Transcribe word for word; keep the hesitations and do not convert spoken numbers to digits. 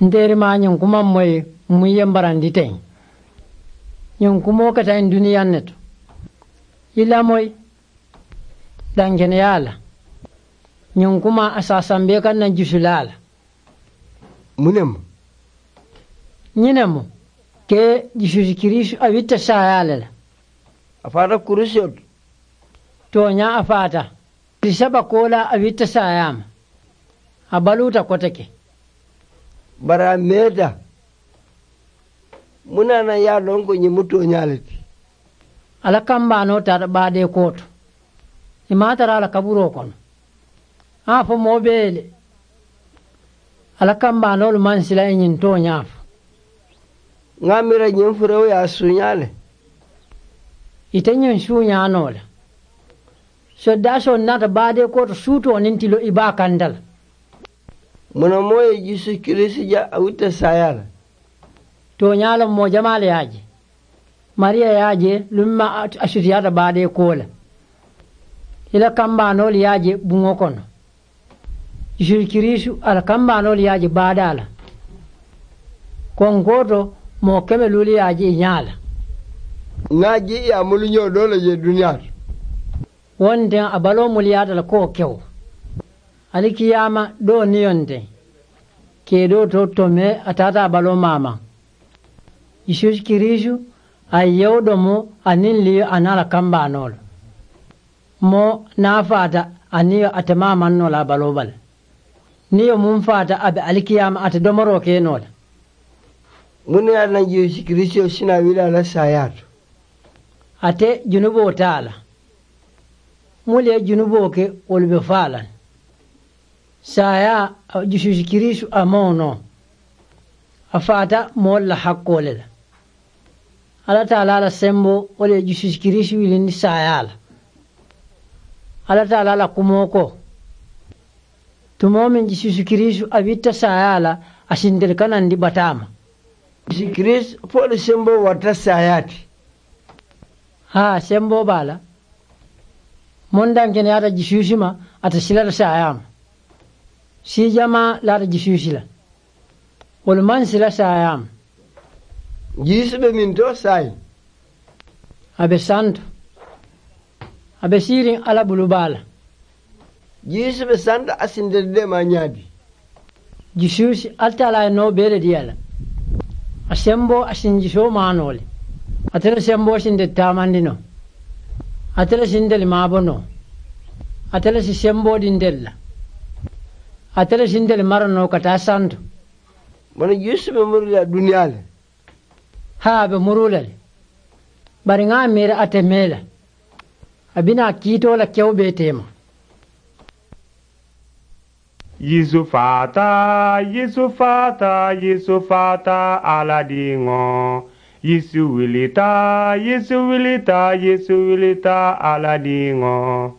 N teeri maa ñiŋ kumaŋ moyi muŋ ye mbarandi teŋ. Ñiŋ kumoo keta ñiŋ duniyaŋ ne to. I lamoyi dankeneyaa la. Ñiŋ kumaa a saasambee kaŋ na jusulaa la. Mu ne mu? Ñiŋ ne mu ke jisuusi kiriisu a witta saayaa le la. A faata kurusiyo to. Tooñaa a faata. Tili saba koolaa a witta saayaa ma. A baluuta kote ke. Bari a meeta. Mu naanaŋ ye a loŋ ko ñiŋ mu tooñaa le ti? A la kambaanoo taata baadee kooto. I maŋ a tara a la kaburoo kono. A fo moo bee ye le. A la kambaanoolu maŋ sila i ñiŋ tooñaa fo. Ŋa a miira ñiŋ furewo ye a suuñaa le. Ite ñiŋ suuñaa noo le. Soddaasoo naata baadee kooto suutoo niŋ tiloo i baa kanta la. Mu na moo ye jisuusi kiriisu je a wutta saayaa la? Tooñaa la moo jamaa le ye a je. Mariya ye a je luŋ ma a sutiyaata baadee koo la. I la kambaanoolu ye a je buŋo kono. Jisuusi kiriisu a la kambaanoolu ye a je baadaa la. Konkoo to moo keme luulu ye a je i ñaa la. Ŋa a je i ye a muluñoo doo le je duniyaa to. Wo nteŋ a baloo muliyaata le ko wo kewo. Alikiyaama doo niyo nteŋ. Keedoo to tomee a taata a baloo maamaŋ. Jisuusi kiriisu a ye yewo domo a niŋ liyo a niŋ a la kambaanoolu. Moo niŋ a faata a niyo a te maamaŋ noo la a baloo bala. Niyo muŋ faata a be alikiyaama a te domoroo ke noo la. Muŋ ne ye a naŋ jisuusi kiriisu si naa wili a la saayaa to? Ate junuboo te a la. Muŋ le ye junuboo ke wolu be faa la. Saayaa jisuusi kiriisu a maŋ wo noo. A faata moolu la hakkoo le la. Alla taalaa la semboo wo le ye jisuusi kiriisu wilindi saayaa la. Alla taalaa la kumoo ko tumoo meŋ jisuusi kiriisu a witta saayaa la a si ntelu kanandi bataa ma. Jisuusi kiriisu fo le semboo warata saayaa ti. Haa semboo be a la. Mondankeneyaata jisuusi ma ate silata saayaa ma. Sii jamaa laata jisuusi la. Wolu maŋ sila saayaa ma. Jisuusi be miŋ to saayiŋ? A be santo. A be siiriŋ alla bulu baa la. Jisuusi be santo a si ntelu deemaa ñaadi? Jisuusi alla taalaa ye noo bee le dii a la. A semboo a si njisoo maanoo le. Ate le semboo si ntelu taamandi noo. Ate le si ntelu maabo noo. Ate le si semboo dii ntelu la. Ate le si ntelu mara noo ka taa santo. Bari jisuusi be muruu la duniyaa le. Haa a be muruu la le. Bari ŋa a miira a te mee la. A bi naa kiitoo la kewo bee teema. Yeesu faata, Yeesu faata, Yeesu faata, Alla diŋo. Yeesu wilita, Yeesu wilita, Yeesu wilita, Alla diŋo.